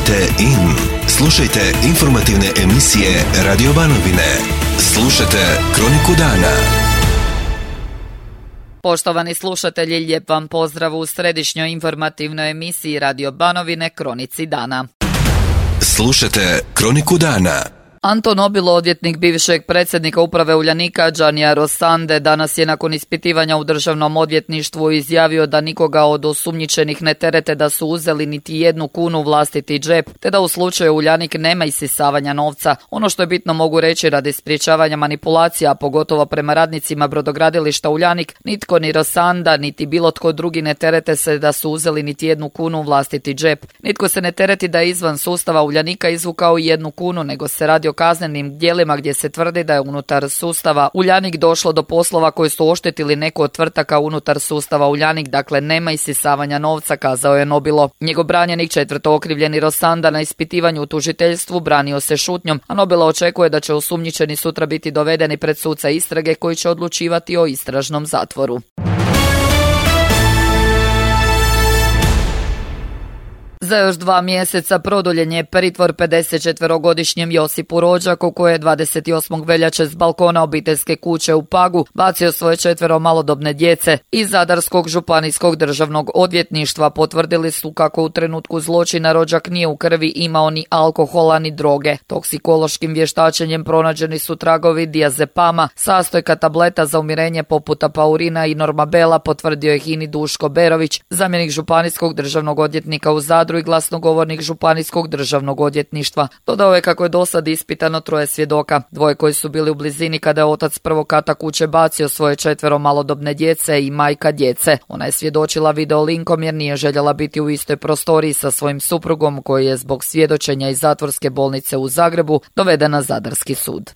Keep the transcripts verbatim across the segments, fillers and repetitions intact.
Kliknite in. Slušajte informativne emisije Radio Banovine. Slušajte Kroniku dana. Poštovani slušatelji, lijep vam pozdrav u središnjoj informativnoj emisiji Radio Banovine Kronici dana. Slušajte Kroniku dana. Anton Obilo, odvjetnik bivšeg predsjednika uprave Uljanika Giannija Rossande, danas je nakon ispitivanja u državnom odvjetništvu izjavio da nikoga od osumnjičenih ne terete da su uzeli niti jednu kunu u vlastiti džep, te da u slučaju Uljanik nema isisavanja novca. Ono što je bitno mogu reći radi sprječavanja manipulacija, a pogotovo prema radnicima brodogradilišta Uljanik, nitko ni Rossanda, niti bilo tko drugi ne terete se da su uzeli niti jednu kunu u vlastiti džep. Nitko se ne tereti da je izvan sustava Uljanika izvukao i jednu kunu, nego se radi o kaznenim djelima gdje se tvrdi da je unutar sustava Uljanik došlo do poslova koji su oštetili neku od tvrtaka unutar sustava Uljanik, dakle nema isisavanja novca, kazao je Nobilo. Njegov branjenik, četvrto okrivljeni Rossanda, na ispitivanju u tužiteljstvu branio se šutnjom, a Nobilo očekuje da će osumnjičeni sutra biti dovedeni pred suca istrage koji će odlučivati o istražnom zatvoru. Za još dva mjeseca produljen je pritvor pedesetčetverogodišnjem Josipu Rođaku, koji je dvadeset osmog veljače s balkona obiteljske kuće u Pagu bacio svoje četvero malodobne djece. Iz Zadarskog županijskog državnog odvjetništva potvrdili su kako u trenutku zločina Rođak nije u krvi imao ni alkohola ni droge. Toksikološkim vještačenjem pronađeni su tragovi diazepama, sastojka tableta za umirenje poput apaurina i normabela, potvrdio je Hini Duško Berović, zamjenik županijskog državnog odvjetnika u Zadru i glasnogovornik županijskog državnog odvjetništva. Dodao je kako je dosad ispitano troje svjedoka, dvoje koji su bili u blizini kada je otac prvog kata kuće bacio svoje četvero malodobne djece i majka djece. Ona je svjedočila videolinkom jer nije željela biti u istoj prostoriji sa svojim suprugom koji je zbog svjedočenja iz zatvorske bolnice u Zagrebu doveden na Zadarski sud.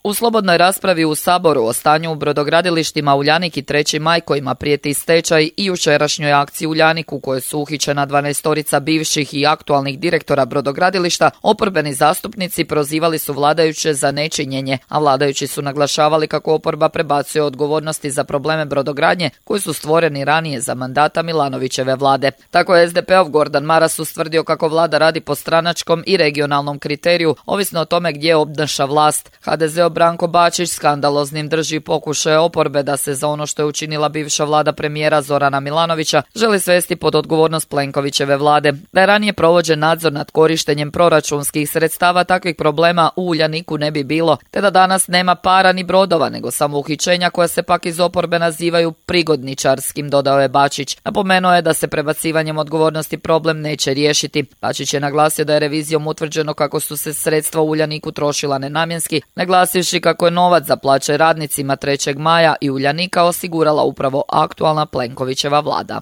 U slobodnoj raspravi u Saboru o stanju u brodogradilištima Uljanik i treći maj kojima prijeti stečaj i jučerašnjoj akciji Uljanik u kojoj su uhićena dvanaestorica bivših i aktualnih direktora brodogradilišta, oporbeni zastupnici prozivali su vladajuće za nečinjenje, a vladajući su naglašavali kako oporba prebacuje odgovornosti za probleme brodogradnje koji su stvoreni ranije za mandata Milanovićeve vlade. Tako je es de pe ov Gordan Maras ustvrdio kako vlada radi po stranačkom i regionalnom kriteriju, ovisno o tome gdje obnaša vlast. ha de ze Branko Bačić skandaloznim drži pokušaje oporbe da se za ono što je učinila bivša vlada premijera Zorana Milanovića želi svesti pod odgovornost Plenkovićeve vlade. Da je ranije provođen nadzor nad korištenjem proračunskih sredstava, takvih problema u Uljaniku ne bi bilo, te da danas nema para ni brodova, nego samo uhićenja koja se pak iz oporbe nazivaju prigodničarskim, dodao je Bačić. Napomenuo je da se prebacivanjem odgovornosti problem neće riješiti. Bačić je naglasio da je revizijom utvrđeno kako su se sredstva u Uljaniku trošila nenamjenski, naglasio kako je novac za plaće radnicima trećeg maja i Uljanika osigurala upravo aktualna Plenkovićeva vlada.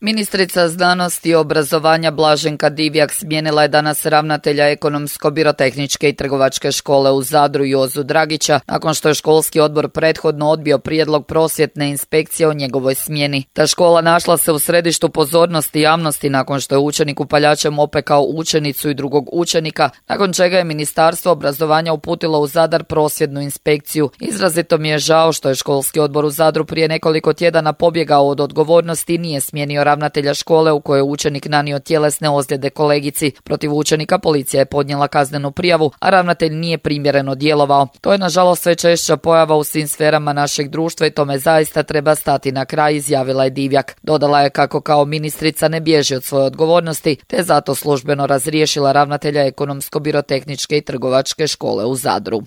Ministrica znanosti i obrazovanja Blaženka Divjak smijenila je danas ravnatelja Ekonomsko-birotehničke i trgovačke škole u Zadru Jozu Dragića, nakon što je školski odbor prethodno odbio prijedlog prosvjetne inspekcije o njegovoj smjeni. Ta škola našla se u središtu pozornosti javnosti nakon što je učenik upaljačem opekao učenicu i drugog učenika, nakon čega je Ministarstvo obrazovanja uputilo u Zadar prosvjetnu inspekciju. Izrazito mi je žao što je školski odbor u Zadru prije nekoliko tjedana pobjegao od odgovornosti i nije smijenio ravnatelja škole u kojoj je učenik nanio tjelesne ozljede kolegici. Protiv učenika policija je podnijela kaznenu prijavu, a ravnatelj nije primjereno djelovao. To je nažalost sve češća pojava u svim sferama našeg društva i tome zaista treba stati na kraj, izjavila je Divjak. Dodala je kako kao ministrica ne bježi od svoje odgovornosti, te zato službeno razriješila ravnatelja Ekonomsko-birotehničke i trgovačke škole u Zadru.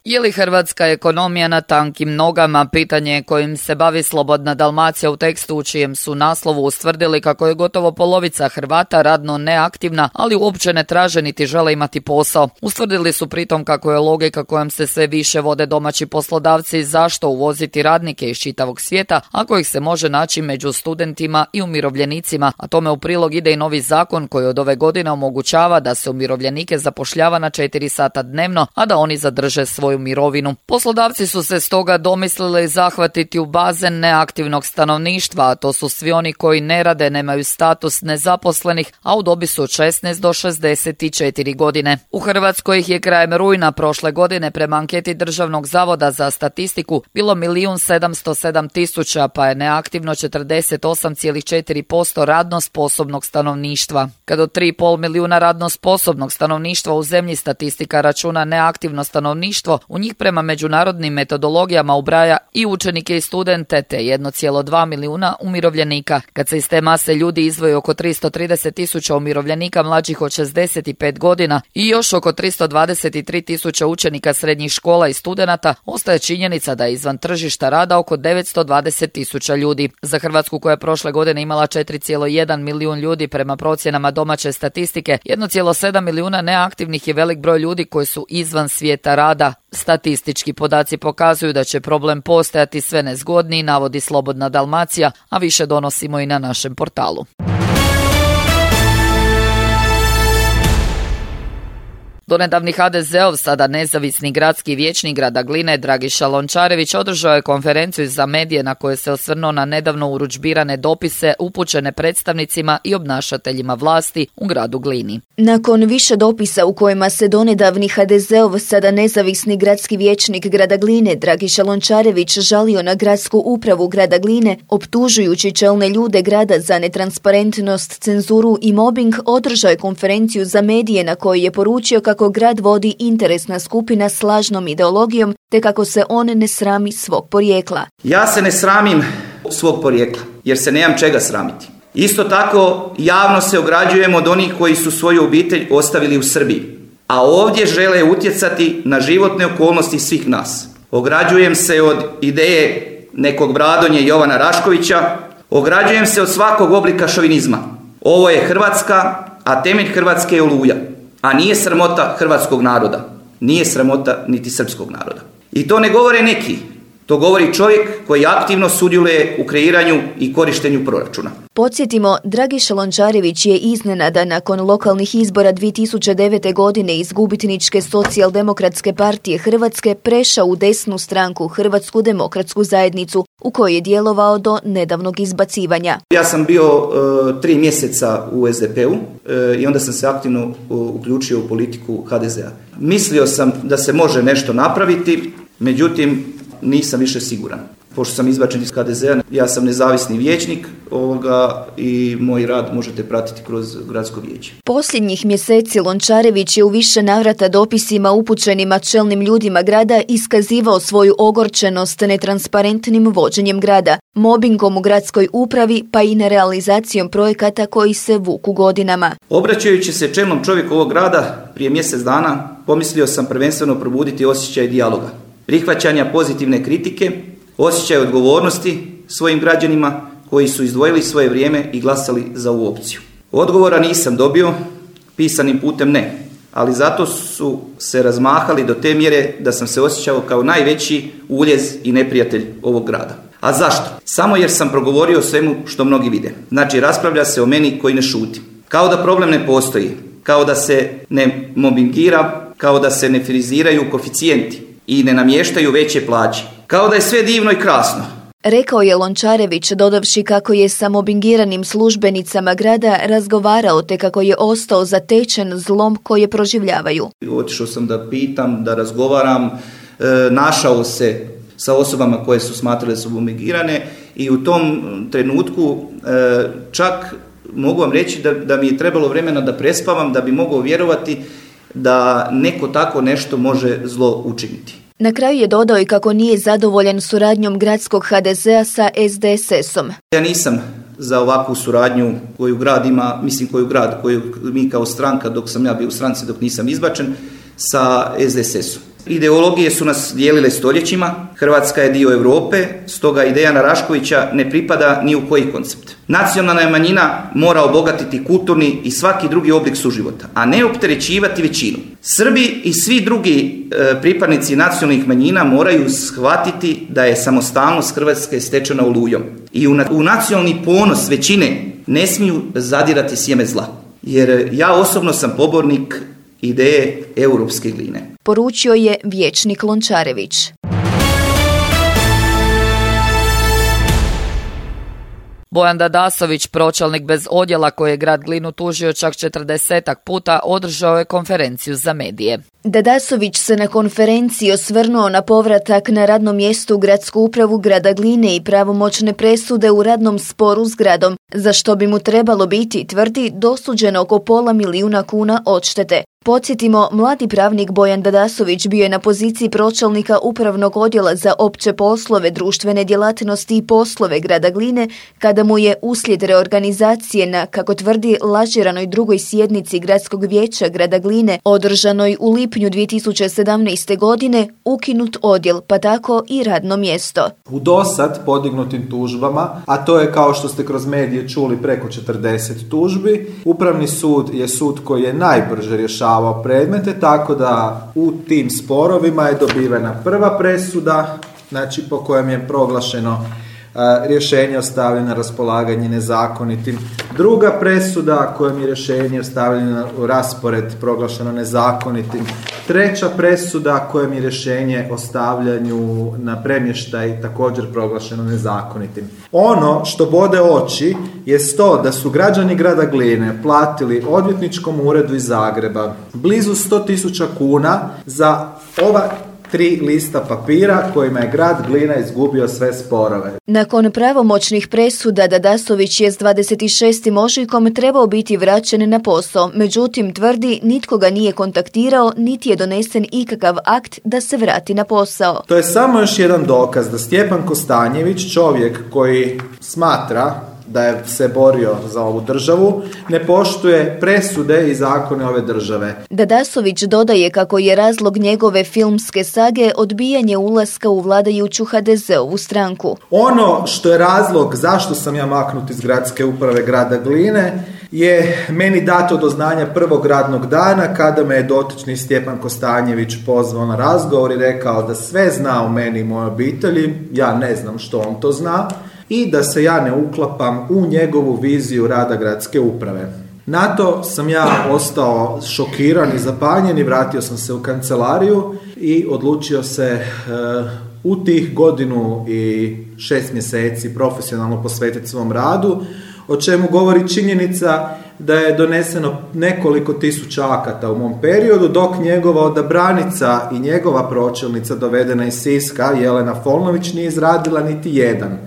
Je li hrvatska ekonomija na tankim nogama? Pitanje je kojim se bavi Slobodna Dalmacija u tekstu u čijem su naslovu ustvrdili kako je gotovo polovica Hrvata radno neaktivna, ali uopće ne traže niti žele imati posao. Ustvrdili su pritom kako je logika kojom se sve više vode domaći poslodavci zašto uvoziti radnike iz čitavog svijeta ako ih se može naći među studentima i umirovljenicima, a tome u prilog ide i novi zakon koji od ove godine omogućava da se umirovljenike zapošljava na četiri sata dnevno, a da oni zadrže svoju svoju mirovinu. Poslodavci su se stoga domislili zahvatiti u bazen neaktivnog stanovništva, a to su svi oni koji ne rade, nemaju status nezaposlenih, a u dobi su od šesnaest do šezdeset četiri godine. U Hrvatskoj ih je krajem rujna prošle godine prema anketi Državnog zavoda za statistiku bilo milijun sedamsto sedam tisuća, pa je neaktivno četrdeset osam zarez četiri posto radno sposobnog stanovništva. Kad od tri i pol milijuna radno sposobnog stanovništva u zemlji statistika računa neaktivno stanovništvo, u njih prema međunarodnim metodologijama ubraja i učenike i studente te jedan zarez dva milijuna umirovljenika. Kad se iz te mase ljudi izdvoji oko tristo trideset tisuća umirovljenika mlađih od šezdeset pet godina i još oko tristo dvadeset tri tisuće učenika srednjih škola i studenata, ostaje činjenica da je izvan tržišta rada oko devetsto dvadeset tisuća ljudi. Za Hrvatsku, koja je prošle godine imala četiri zarez jedan milijun ljudi prema procjenama domaće statistike, jedan zarez sedam milijuna neaktivnih je velik broj ljudi koji su izvan svijeta rada. Statistički podaci pokazuju da će problem postajati sve nezgodniji, navodi Slobodna Dalmacija, a više donosimo i na našem portalu. Donedavni ha de zeov, sada nezavisni gradski vijećnik grada Gline Dragiša Lončarević održao je konferenciju za medije na kojoj se osvrnuo na nedavno urudžbirane dopise upućene predstavnicima i obnašateljima vlasti u gradu Glini. Nakon više dopisa u kojima se donedavni ha de zeov, sada nezavisni gradski vijećnik grada Gline Dragiša Lončarević žalio na gradsku upravu grada Gline, optužujući čelne ljude grada za netransparentnost, cenzuru i mobbing, održao je konferenciju za medije na kojoj je poručio kako kako grad vodi interesna skupina s lažnom ideologijom, te kako se on ne srami svog porijekla. Ja se ne sramim svog porijekla, jer se nemam čega sramiti. Isto tako, javno se ograđujem od onih koji su svoju obitelj ostavili u Srbiji, a ovdje žele utjecati na životne okolnosti svih nas. Ograđujem se od ideje nekog Bradonje Jovana Raškovića, ograđujem se od svakog oblika šovinizma. Ovo je Hrvatska, a temelj Hrvatske je Oluja. A nije sramota hrvatskog naroda, nije sramota niti srpskog naroda. I to ne govore neki, to govori čovjek koji aktivno sudjeluje u kreiranju i korištenju proračuna. Podsjetimo, Dragiša Lončarević je iznenada nakon lokalnih izbora dvije tisuće devete. godine iz gubitničke Socijaldemokratske partije Hrvatske prešao u desnu stranku Hrvatsku demokratsku zajednicu, u kojoj je djelovao do nedavnog izbacivanja. Ja sam bio uh, tri mjeseca u es de pe u uh, i onda sam se aktivno uh, uključio u politiku ha de zea. Mislio sam da se može nešto napraviti, međutim nisam više siguran. Pošto sam izbačen iz ha de zea, ja sam nezavisni vijećnik ovoga i moj rad možete pratiti kroz gradsko vijeće. Posljednjih mjeseci Lončarević je u više navrata dopisima upućenima čelnim ljudima grada iskazivao svoju ogorčenost netransparentnim vođenjem grada, mobingom u gradskoj upravi pa i nerealizacijom projekata koji se vuku godinama. Obraćajući se čelnom čovjeku ovog grada prije mjesec dana, pomislio sam prvenstveno probuditi osjećaj dijaloga, prihvaćanja pozitivne kritike, osjećaj odgovornosti svojim građanima koji su izdvojili svoje vrijeme i glasali za ovu opciju. Odgovora nisam dobio, pisanim putem ne, ali zato su se razmahali do te mjere da sam se osjećao kao najveći uljez i neprijatelj ovog grada. A zašto? Samo jer sam progovorio o svemu što mnogi vide. Znači, raspravlja se o meni koji ne šuti. Kao da problem ne postoji, kao da se ne mobingira, kao da se ne friziraju koeficijenti i ne namještaju veće plaće. Kao da je sve divno i krasno. Rekao je Lončarević, dodavši kako je sa mobingiranim službenicama grada razgovarao te kako je ostao zatečen zlom koje proživljavaju. Otišao sam da pitam, da razgovaram, e, našao se sa osobama koje su smatrale da su mobingirane i u tom trenutku e, čak mogu vam reći da, da mi je trebalo vremena da prespavam, da bi mogao vjerovati da neko tako nešto može zlo učiniti. Na kraju je dodao i kako nije zadovoljan suradnjom gradskog ha de zea sa es de es esom. Ja nisam za ovakvu suradnju koju grad ima, mislim koju grad, koju mi kao stranka, dok sam ja bio u stranci, dok nisam izbačen, sa es de es esom. Ideologije su nas dijelile stoljećima, Hrvatska je dio Europe, stoga ideja Raškovića ne pripada ni u koji koncept. Nacionalna manjina mora obogatiti kulturni i svaki drugi oblik suživota, a ne opterećivati većinu. Srbi i svi drugi e, pripadnici nacionalnih manjina moraju shvatiti da je samostalnost Hrvatske stečena olujom. I u, na, u nacionalni ponos većine ne smiju zadirati sjeme zla. Jer ja osobno sam pobornik ideje europske gline. Poručio je vijećnik Lončarević. Bojan Dadasović, pročelnik bez odjela koji je grad Glinu tužio čak četrdesetak puta, održao je konferenciju za medije. Dadasović se na konferenciji osvrnuo na povratak na radno mjesto u gradsku upravu grada Gline i pravomoćne presude u radnom sporu s gradom, za što bi mu trebalo biti, tvrdi, dosuđeno oko pola milijuna kuna odštete. Podsjetimo, mladi pravnik Bojan Dadasović bio je na poziciji pročelnika upravnog odjela za opće poslove, društvene djelatnosti i poslove grada Gline, kada mu je uslijed reorganizacije na, kako tvrdi, lažiranoj drugoj sjednici gradskog vijeća grada Gline, održanoj u lipnju dvije tisuće sedamnaeste. godine, ukinut odjel, pa tako i radno mjesto. U dosad podignutim tužbama, a to je, kao što ste kroz medije čuli, preko četrdeset tužbi, Upravni sud je sud koji je najbrže rješavao predmete, tako da u tim sporovima je dobivena prva presuda, znači po kojem je proglašeno a, rješenje o stavljanju na raspolaganje nezakonitim. Druga presuda kojom je rješenje o stavljanju u raspored proglašeno nezakonitim. Treća presuda kojom je rješenje o stavljanju na premještaj također proglašeno nezakonitim. Ono što bode oči je to da su građani grada Gline platili odvjetničkom uredu iz Zagreba blizu sto tisuća kuna za ova tri lista papira kojima je grad Glina izgubio sve sporove. Nakon pravomoćnih presuda Dadasović je s dvadeset šestim ožujkom trebao biti vraćen na posao, međutim tvrdi nitko ga nije kontaktirao, niti je donesen ikakav akt da se vrati na posao. To je samo još jedan dokaz da Stjepan Kostanjević, čovjek koji smatra da je se borio za ovu državu, ne poštuje presude i zakone ove države. Dadasović dodaje kako je razlog njegove filmske sage odbijanje ulaska u vladajuću ha de ze-ovu stranku. Ono što je razlog zašto sam ja maknut iz gradske uprave grada Gline je meni dato do znanja prvog radnog dana kada me je dotični Stjepan Kostanjević pozvao na razgovor i rekao da sve zna o meni i mojoj obitelji, ja ne znam što on to zna, i da se ja ne uklapam u njegovu viziju rada gradske uprave. Na to sam ja ostao šokiran i zapanjen i vratio sam se u kancelariju i odlučio se uh, u tih godinu i šest mjeseci profesionalno posvetiti svom radu, o čemu govori činjenica da je doneseno nekoliko tisuća akata u mom periodu, dok njegova odabranica i njegova pročelnica dovedena iz Siska, Jelena Folnović, nije izradila niti jedan.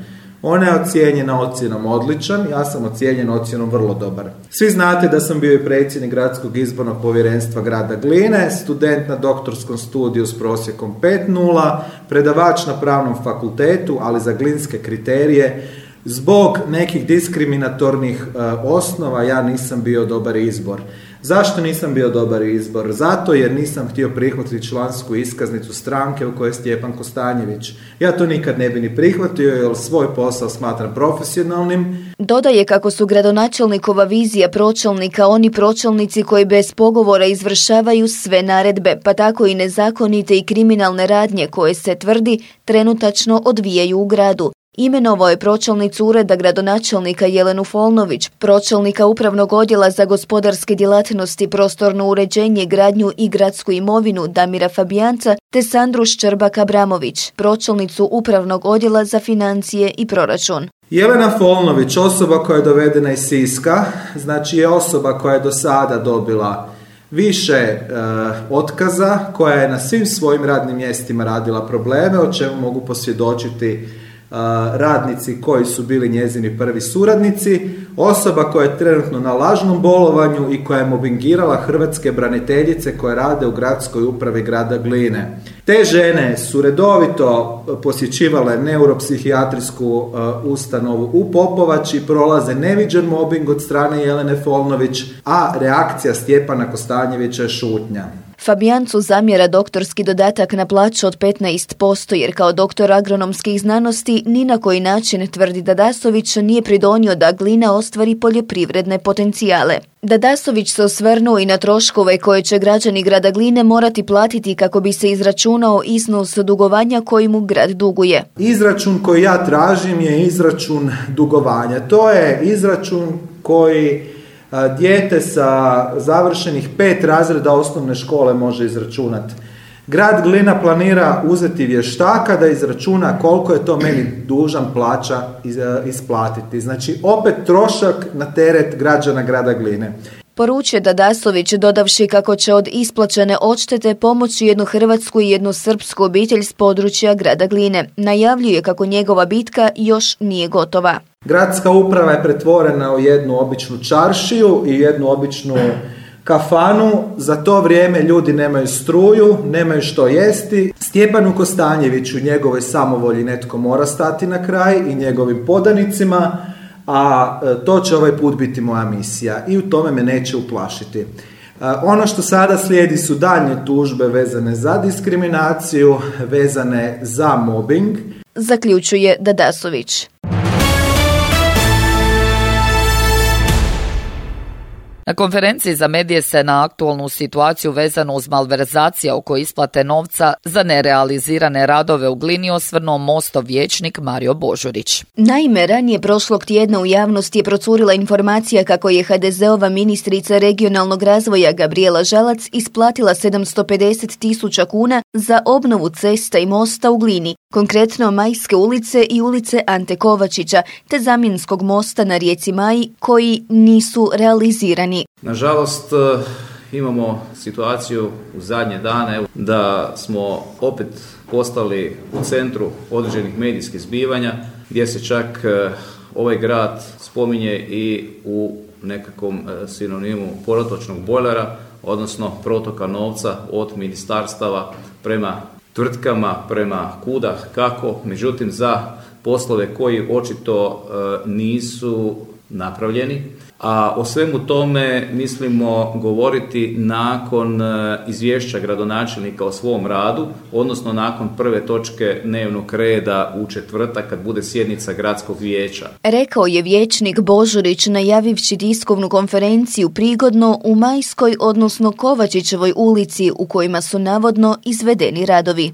Ona je ocijenjena ocjenom odličan, ja sam ocijenjen ocjenom vrlo dobar. Svi znate da sam bio i predsjednik gradskog izbornog povjerenstva grada Gline, student na doktorskom studiju s prosjekom pet nula, predavač na pravnom fakultetu, ali za glinske kriterije. Zbog nekih diskriminatornih e, osnova ja nisam bio dobar izbor. Zašto nisam bio dobar izbor? Zato jer nisam htio prihvatiti člansku iskaznicu stranke u kojoj je Stjepan Kostanjević. Ja to nikad ne bi ni prihvatio jer svoj posao smatram profesionalnim. Dodaje kako su gradonačelnikova vizija pročelnika oni pročelnici koji bez pogovora izvršavaju sve naredbe, pa tako i nezakonite i kriminalne radnje koje se, tvrdi, trenutačno odvijaju u gradu. Imenovao je pročelnicu ureda gradonačelnika Jelenu Folnović, pročelnika upravnog odjela za gospodarske djelatnosti, prostorno uređenje, gradnju i gradsku imovinu Damira Fabijanca te Sandru Ščerbak-Abramović, pročelnicu upravnog odjela za financije i proračun. Jelena Folnović, osoba koja je dovedena iz Siska, znači je osoba koja je do sada dobila više e, otkaza, koja je na svim svojim radnim mjestima radila probleme, o čemu mogu posvjedočiti radnici koji su bili njezini prvi suradnici, osoba koja je trenutno na lažnom bolovanju i koja je mobingirala hrvatske braniteljice koje rade u gradskoj upravi grada Gline. Te žene su redovito posjećivale neuropsihijatrijsku uh, ustanovu u Popovači, prolaze neviđen mobbing od strane Jelene Folnović, a reakcija Stjepana Kostanjevića je šutnja. Fabijancu zamjera doktorski dodatak na plaću od petnaest posto jer kao doktor agronomskih znanosti ni na koji način, tvrdi Dadasović, nije pridonio da Glina ostvari poljoprivredne potencijale. Dadasović se osvrnuo i na troškove koje će građani grada Gline morati platiti kako bi se izračunao iznos dugovanja koji mu grad duguje. Izračun koji ja tražim je izračun dugovanja. To je izračun koji Dijete sa završenih pet razreda osnovne škole može izračunati. Grad Glina planira uzeti vještaka da izračuna koliko je to meni dužan plaća isplatiti. Znači, opet trošak na teret građana grada Gline. Poručuje Dadasović, dodavši kako će od isplaćene odštete pomoći jednu hrvatsku i jednu srpsku obitelj s područja grada Gline. Najavljuje kako njegova bitka još nije gotova. Gradska uprava je pretvorena u jednu običnu čaršiju i jednu običnu kafanu. Za to vrijeme ljudi nemaju struju, nemaju što jesti. Stjepanu Kostanjeviću, njegovoj samovolji netko mora stati na kraj i njegovim podanicima, a to će ovaj put biti moja misija i u tome me neće uplašiti. Ono što sada slijedi su daljnje tužbe vezane za diskriminaciju, vezane za mobbing. Zaključuje Dadasović. Na konferenciji za medije se na aktualnu situaciju vezanu uz malverzacije oko isplate novca za nerealizirane radove u Glini osvrnuo Mostov vijećnik Mario Božurić. Naime, ranije prošlog tjedna u javnosti je procurila informacija kako je ha de zeova ministrica regionalnog razvoja Gabrijela Žalac isplatila sedamsto pedeset tisuća kuna za obnovu cesta i mosta u Glini, konkretno Majske ulice i ulice Ante Kovačića, te zamjenskog mosta na rijeci Maji koji nisu realizirani. Nažalost, imamo situaciju u zadnje dane da smo opet postali u centru određenih medijskih zbivanja gdje se čak ovaj grad spominje i u nekakvom sinonimu protočnog bojlera, odnosno protoka novca od ministarstava prema tvrtkama, prema kuda kako, međutim za poslove koji očito nisu napravljeni. A o svemu tome mislimo govoriti nakon izvješća gradonačelnika o svom radu, odnosno nakon prve točke dnevnog reda u četvrtak kad bude sjednica gradskog vijeća. Rekao je vijećnik Božurić najavivši tiskovnu konferenciju prigodno u Majskoj, odnosno Kovačićevoj ulici u kojima su navodno izvedeni radovi.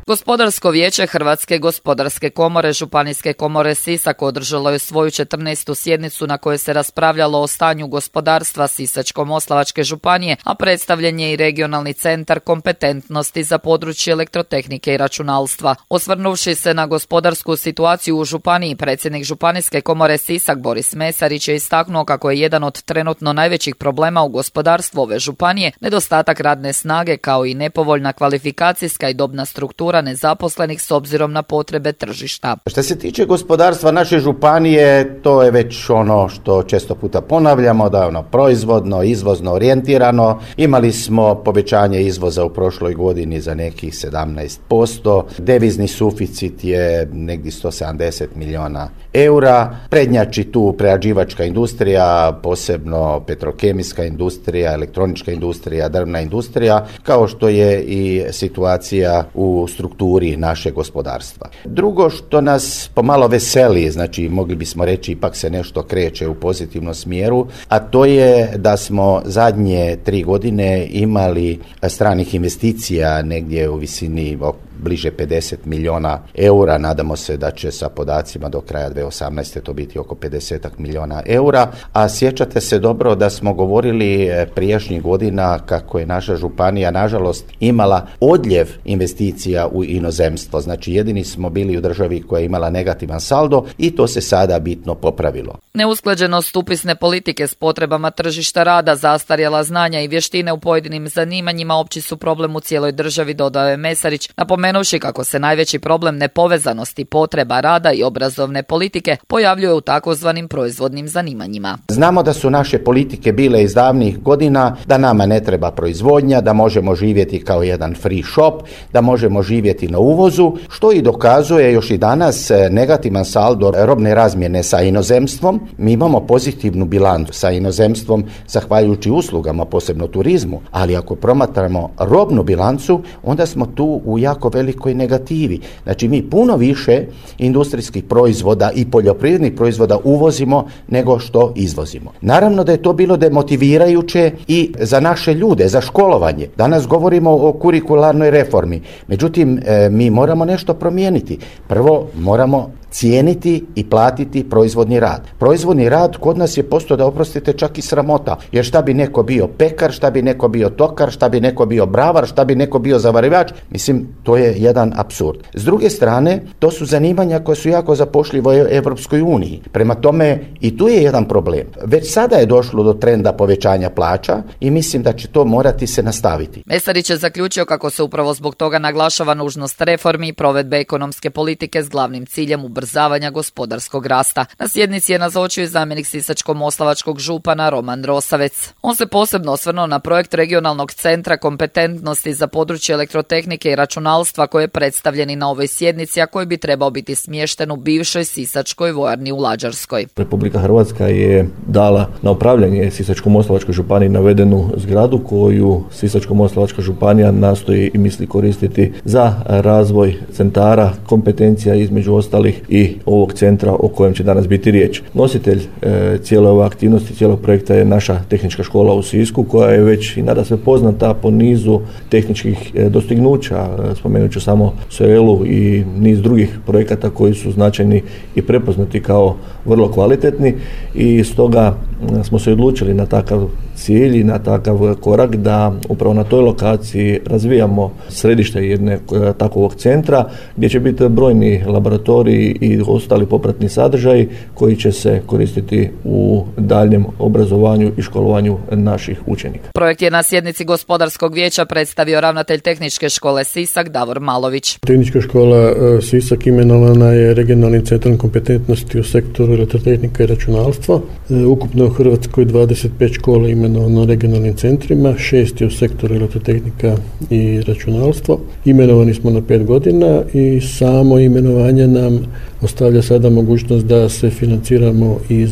Gospodarsko vijeće Hrvatske gospodarske komore Županijske komore Sisak održalo je svoju četrnaestu sjednicu na kojoj se raspravljalo o stanju gospodarstva Sisačko-moslavačke županije, a predstavljen je i regionalni centar kompetentnosti za područje elektrotehnike i računalstva. Osvrnuvši se na gospodarsku situaciju u županiji, predsjednik Županijske komore Sisak Boris Mesarić je istaknuo kako je jedan od trenutno najvećih problema u gospodarstvu ove županije nedostatak radne snage kao i nepovoljna kvalifikacijska i dobna struktura nezaposlenih s obzirom na potrebe tržišta. Što se tiče gospodarstva naše županije, to je već ono što često puta ponavljamo, da je ono proizvodno, izvozno orijentirano. Imali smo povećanje izvoza u prošloj godini za nekih sedamnaest posto. Devizni suficit je negdje sto sedamdeset milijuna eura. Prednjači tu prerađivačka industrija, posebno petrokemijska industrija, elektronička industrija, drvna industrija, kao što je i situacija u strukturi našeg gospodarstva. Drugo što nas pomalo veseli, znači mogli bismo reći ipak se nešto kreće u pozitivnom smjeru, a to je da smo zadnje tri godine imali stranih investicija negdje u visini bliže pedeset milijuna eura. Nadamo se da će sa podacima do kraja dvije tisuće osamnaeste to biti oko pedeset milijuna eura. A sjećate se dobro da smo govorili prijašnjih godina kako je naša županija nažalost imala odljev investicija u inozemstvo. Znači jedini smo bili u državi koja je imala negativan saldo i to se sada bitno popravilo. Neusklađenost upisne politike s potrebama tržišta rada, zastarjela znanja i vještine u pojedinim zanimanjima opći su problem u cijeloj državi, dodao je Mesarić, napomenuši kako se najveći problem nepovezanosti potreba rada i obrazovne politike pojavljuje u takozvanim proizvodnim zanimanjima. Znamo da su naše politike bile iz davnih godina, da nama ne treba proizvodnja, da možemo živjeti kao jedan free shop, da možemo živjeti na uvozu, što i dokazuje još i danas negativan saldo robne razmjene sa inozemstvom. Mi imamo pozitivnu bilancu sa inozemstvom zahvaljujući uslugama, posebno turizmu, ali ako promatramo robnu bilancu, onda smo tu u jako velikoj negativi. Znači mi puno više industrijskih proizvoda i poljoprivrednih proizvoda uvozimo nego što izvozimo. Naravno da je to bilo demotivirajuće i za naše ljude, za školovanje. Danas govorimo o kurikularnoj reformi. Međutim, mi moramo nešto promijeniti. Prvo moramo cijeniti i platiti proizvodni rad. Proizvodni rad kod nas je postao, da oprostite, čak i sramota, jer šta bi neko bio pekar, šta bi neko bio tokar, šta bi neko bio bravar, šta bi neko bio zavarivač, mislim, to je jedan apsurd. S druge strane, to su zanimanja koja su jako zapošljiva u Europskoj uniji. Prema tome, i tu je jedan problem. Već sada je došlo do trenda povećanja plaća i mislim da će to morati se nastaviti. Mesarić je zaključio kako se upravo zbog toga naglašava nužnost reformi i provedbe ekonomske politike s glavnim ciljem ubrzavanja gospodarskog rasta. Na sjednici je nazočio i zamjenik sisačko-moslavačkog župana Roman Rosavec. On se posebno osvrnuo na projekt regionalnog centra kompetentnosti za područje elektrotehnike i računalstva koji je predstavljen i na ovoj sjednici, a koji bi trebao biti smješten u bivšoj sisačkoj vojarni u Lađarskoj. Republika Hrvatska je dala na upravljanje Sisačko-moslavačkoj županiji navedenu zgradu koju Sisačko-moslavačka županija nastoji i misli koristiti za razvoj centara kompetencija, između ostalih i ovog centra o kojem će danas biti riječ. Nositelj e, cijele ove aktivnosti, cijelog projekta je naša tehnička škola u Sisku, koja je već i nadasve poznata po nizu tehničkih e, dostignuća. Spomenut ću samo Soelu i niz drugih projekata koji su značajni i prepoznati kao vrlo kvalitetni, i stoga smo se odlučili na takav cilj i na takav korak da upravo na toj lokaciji razvijamo središte jedne takovog centra gdje će biti brojni laboratoriji i ostali popratni sadržaji koji će se koristiti u daljem obrazovanju i školovanju naših učenika. Projekt je na sjednici gospodarskog vijeća predstavio ravnatelj Tehničke škole Sisak Davor Malović. Tehnička škola Sisak imenovana je regionalnim centrom kompetentnosti u sektoru elektrotehnika i računalstva. Ukupno u Hrvatskoj dvadeset pet škola imenovano regionalnim centrima, šest je u sektoru elektrotehnika i računalstvo. Imenovani smo na pet godina i samo imenovanje nam ostavlja sada mogućnost da se financiramo iz,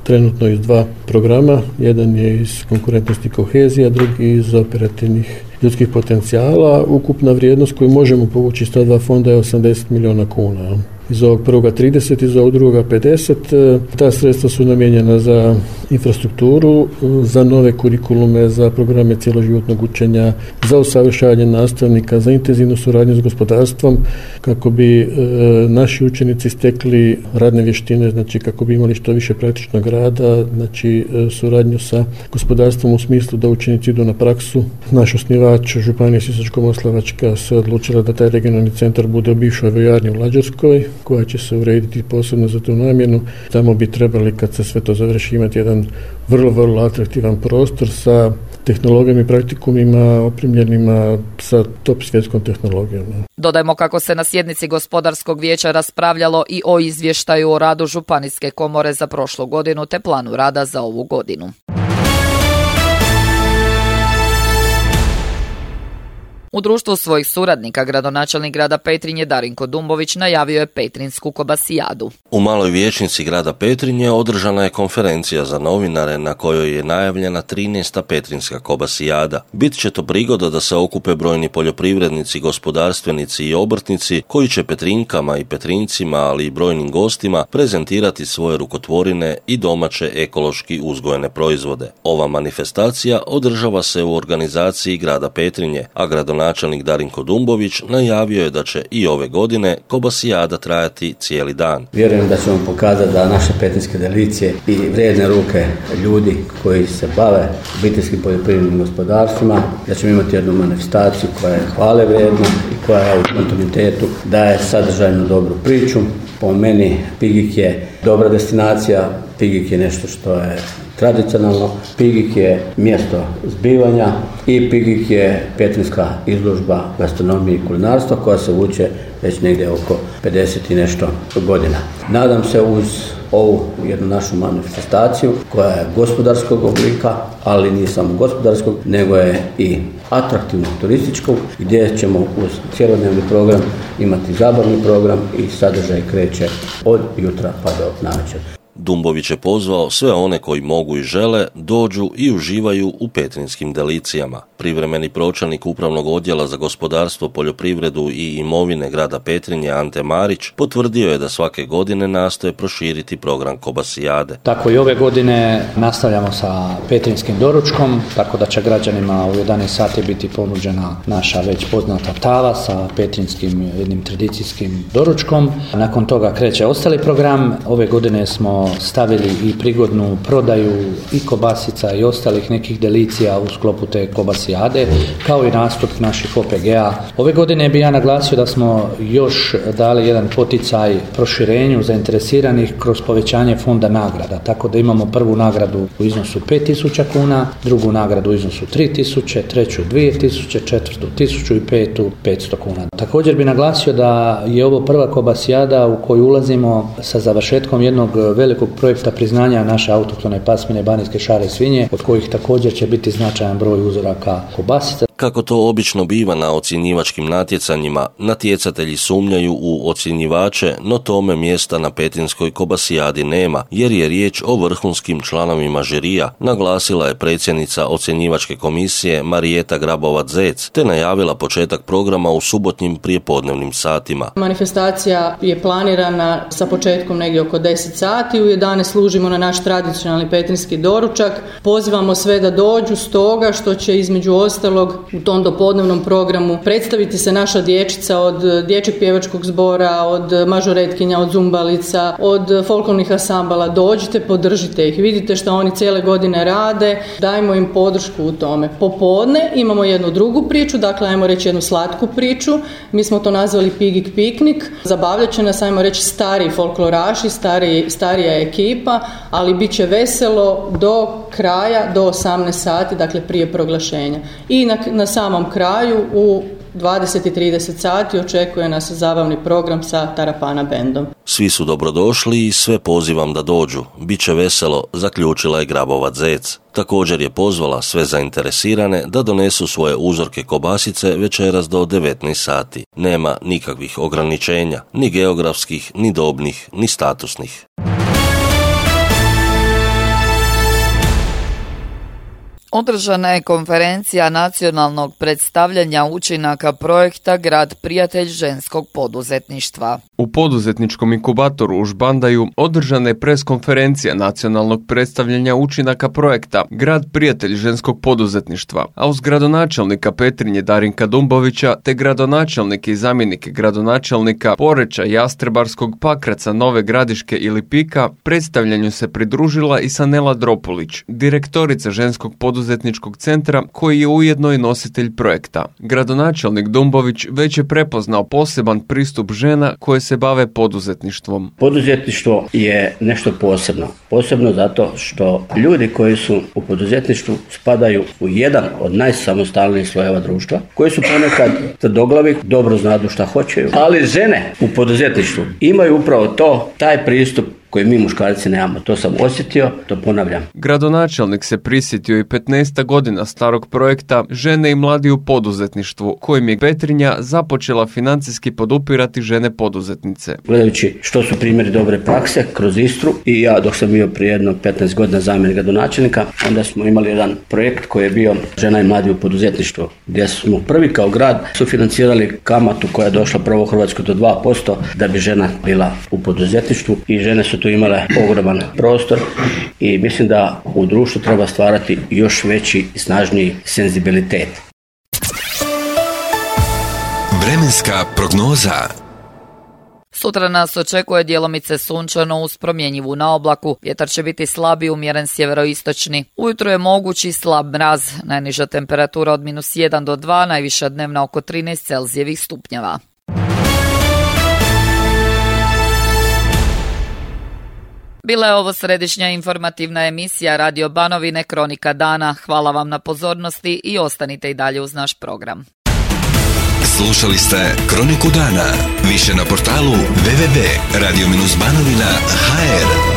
trenutno iz dva programa. Jedan je iz konkurentnosti i kohezija, drugi iz operativnih ljudskih potencijala. Ukupna vrijednost koju možemo povući iz ta dva fonda je osamdeset milijuna kuna. Iz ovog prvoga trideset, iz ovog drugoga pedeset. Ta sredstva su namijenjena za infrastrukturu, za nove kurikulume, za programe cjeloživotnog učenja, za usavršavanje nastavnika, za intenzivnu suradnju s gospodarstvom, kako bi e, naši učenici stekli radne vještine, znači kako bi imali što više praktičnog rada, znači e, suradnju sa gospodarstvom u smislu da učenici idu na praksu. Naš osnivač, županija Sisačko-moslavačka, se odlučila da taj regionalni centar bude u bivšoj vojarni u Lađarskoj, koja će se urediti posebno za tu namjenu. Tamo bi trebali, kad se sve to završi, imati jedan vrlo, vrlo atraktivan prostor sa tehnologijama i praktikumima opremljenima sa top svjetskom tehnologijom. Dodajmo kako se na sjednici gospodarskog vijeća raspravljalo i o izvještaju o radu Županijske komore za prošlu godinu te planu rada za ovu godinu. U društvu svojih suradnika gradonačelnik grada Petrinje Darinko Dumbović najavio je Petrinsku kobasijadu. U maloj vijećnici grada Petrinje održana je konferencija za novinare na kojoj je najavljena trinaesta Petrinska kobasijada. Bit će to prigoda da se okupe brojni poljoprivrednici, gospodarstvenici i obrtnici koji će Petrinkama i Petrincima, ali i brojnim gostima prezentirati svoje rukotvorine i domaće ekološki uzgojene proizvode. Ova manifestacija održava se u organizaciji grada Petrinje, a gradonačelnik Načelnik Darinko Dumbović najavio je da će i ove godine kobasijada trajati cijeli dan. Vjerujem da ćemo pokazati da naše petrinjske delicije i vrijedne ruke ljudi koji se bave obiteljskim poljoprivrednim gospodarstvima, da ćemo imati jednu manifestaciju koja je hvale vrijedna i koja je u kontinuitetu daje sadržajnu dobru priču. Po meni Pigik je dobra destinacija, Pigik je nešto što je tradicionalno, Pigik je mjesto zbivanja i Pigik je petrinjska izložba gastronomije i kulinarstva koja se vuče već negdje oko pedeset i nešto godina. Nadam se uz ovu jednu našu manifestaciju koja je gospodarskog oblika, ali nije samo gospodarskog, nego je i atraktivnog turističkog, gdje ćemo uz cjelodnevni program imati zabavni program i sadržaj kreće od jutra pa do navečer. Dumbović je pozvao sve one koji mogu i žele dođu i uživaju u petrinjskim delicijama. Privremeni pročelnik Upravnog odjela za gospodarstvo, poljoprivredu i imovine grada Petrinje Ante Marić potvrdio je da svake godine nastoje proširiti program kobasijade. Tako i ove godine nastavljamo sa petrinjskim doručkom, tako da će građanima u jedanaest sati biti ponuđena naša već poznata tava sa petrinjskim jednim tradicijskim doručkom. Nakon toga kreće ostali program. Ove godine smo stavili i prigodnu prodaju i kobasica i ostalih nekih delicija u sklopu te kobasijade, kao i nastup naših O P G-a. Ove godine bi ja naglasio da smo još dali jedan poticaj proširenju zainteresiranih kroz povećanje fonda nagrada, tako da imamo prvu nagradu u iznosu pet tisuća kuna, drugu nagradu u iznosu tri tisuće, treću dvije tisuće, četvrtu tisuću i petu petsto kuna. Također bi naglasio da je ovo prva kobasijada u koju ulazimo sa završetkom jednog velikog projekta priznanja naše autohtone pasmine banijske šare svinje, od kojih također će biti značajan broj uzoraka kobasica. Kako to obično biva na ocjenjivačkim natjecanjima, natjecatelji sumnjaju u ocjenjivače, no tome mjesta na petrinjskoj kobasijadi nema, jer je riječ o vrhunskim članovima žirija, naglasila je predsjednica ocjenjivačke komisije Marijeta Grabovac-Zec, te najavila početak programa u subotnjim prijepodnevnim satima. Manifestacija je planirana sa početkom negdje oko deset sati, u jedanaest služimo na naš tradicionalni petrinjski doručak. Pozivamo sve da dođu, stoga što će između ostalog u tom dopodnevnom programu predstaviti se naša dječica od dječjeg pjevačkog zbora, od mažoretkinja, od zumbalica, od folklornih ansambala. Dođite, podržite ih, vidite što oni cijele godine rade, dajmo im podršku u tome. Popodne imamo jednu drugu priču, dakle ajmo reći jednu slatku priču, mi smo to nazvali Pigik piknik, zabavljat će nas, ajmo reći, stari folkloraši, stari, starija ekipa, ali bit će veselo do kraja, do osamnaest sati, dakle prije proglašenja. I na, na samom kraju u dvadeset i trideset sati očekuje nas zabavni program sa Tarapana bendom. Svi su dobrodošli i sve pozivam da dođu. Biće veselo, zaključila je Grabovac-Zec. Također je pozvala sve zainteresirane da donesu svoje uzorke kobasice večeras do devetnaest sati. Nema nikakvih ograničenja, ni geografskih, ni dobnih, ni statusnih. Održana je konferencija nacionalnog predstavljanja učinaka projekta Grad prijatelj ženskog poduzetništva. U poduzetničkom inkubatoru u Žbandaju održana je preskonferencija nacionalnog predstavljanja učinaka projekta Grad prijatelj ženskog poduzetništva, a uz gradonačelnika Petrinje Darinka Dumbovića te gradonačelnike i zamjenike gradonačelnika Poreča, Jastrebarskog, Pakraca, Nove Gradiške i Lipika predstavljanju se pridružila i Sanela Dropulić, direktorica ženskog poduzetničkog centra koji je ujedno i nositelj projekta. Gradonačelnik Dumbović već je prepoznao poseban pristup žena koje se bave poduzetništvom. Poduzetništvo je nešto posebno. Posebno zato što ljudi koji su u poduzetništvu spadaju u jedan od najsamostalnijih slojeva društva, koji su ponekad tvrdoglavi, dobro znadu šta hoćeju, ali žene u poduzetništvu imaju upravo to, taj pristup koji mi muškarci nemamo. To sam osjetio, to ponavljam. Gradonačelnik se prisjetio i petnaest godina starog projekta Žene i mladi u poduzetništvu, kojim je Petrinja započela financijski podupirati žene poduzetnice. Gledajući što su primjeri dobre prakse kroz Istru i ja dok sam bio prije jedno petnaest godina zamjenik gradonačelnika, onda smo imali jedan projekt koji je bio Žena i mladi u poduzetništvu, gdje smo prvi kao grad sufinancirali kamatu koja je došla prvo u Hrvatskoj do dva posto da bi žena bila u poduzetništvu i žene su tu imale ogroman prostor i mislim da u društvu treba stvarati još veći i snažniji senzibilitet. Vremenska prognoza. Sutra nas očekuje djelomice sunčano uz promjenjivu na oblaku. Vjetar će biti slab i umjeren sjeveroistočni. Ujutro je mogući slab mraz. Najniža temperatura od minus jedan do dva, najviša dnevna oko trinaest Celzijevih stupnjeva. Bila je ovo središnja informativna emisija Radio Banovine Kronika dana. Hvala vam na pozornosti i ostanite i dalje uz naš program. Slušali ste Kroniku dana. Više na portalu w w w tačka radio banovina tačka h r.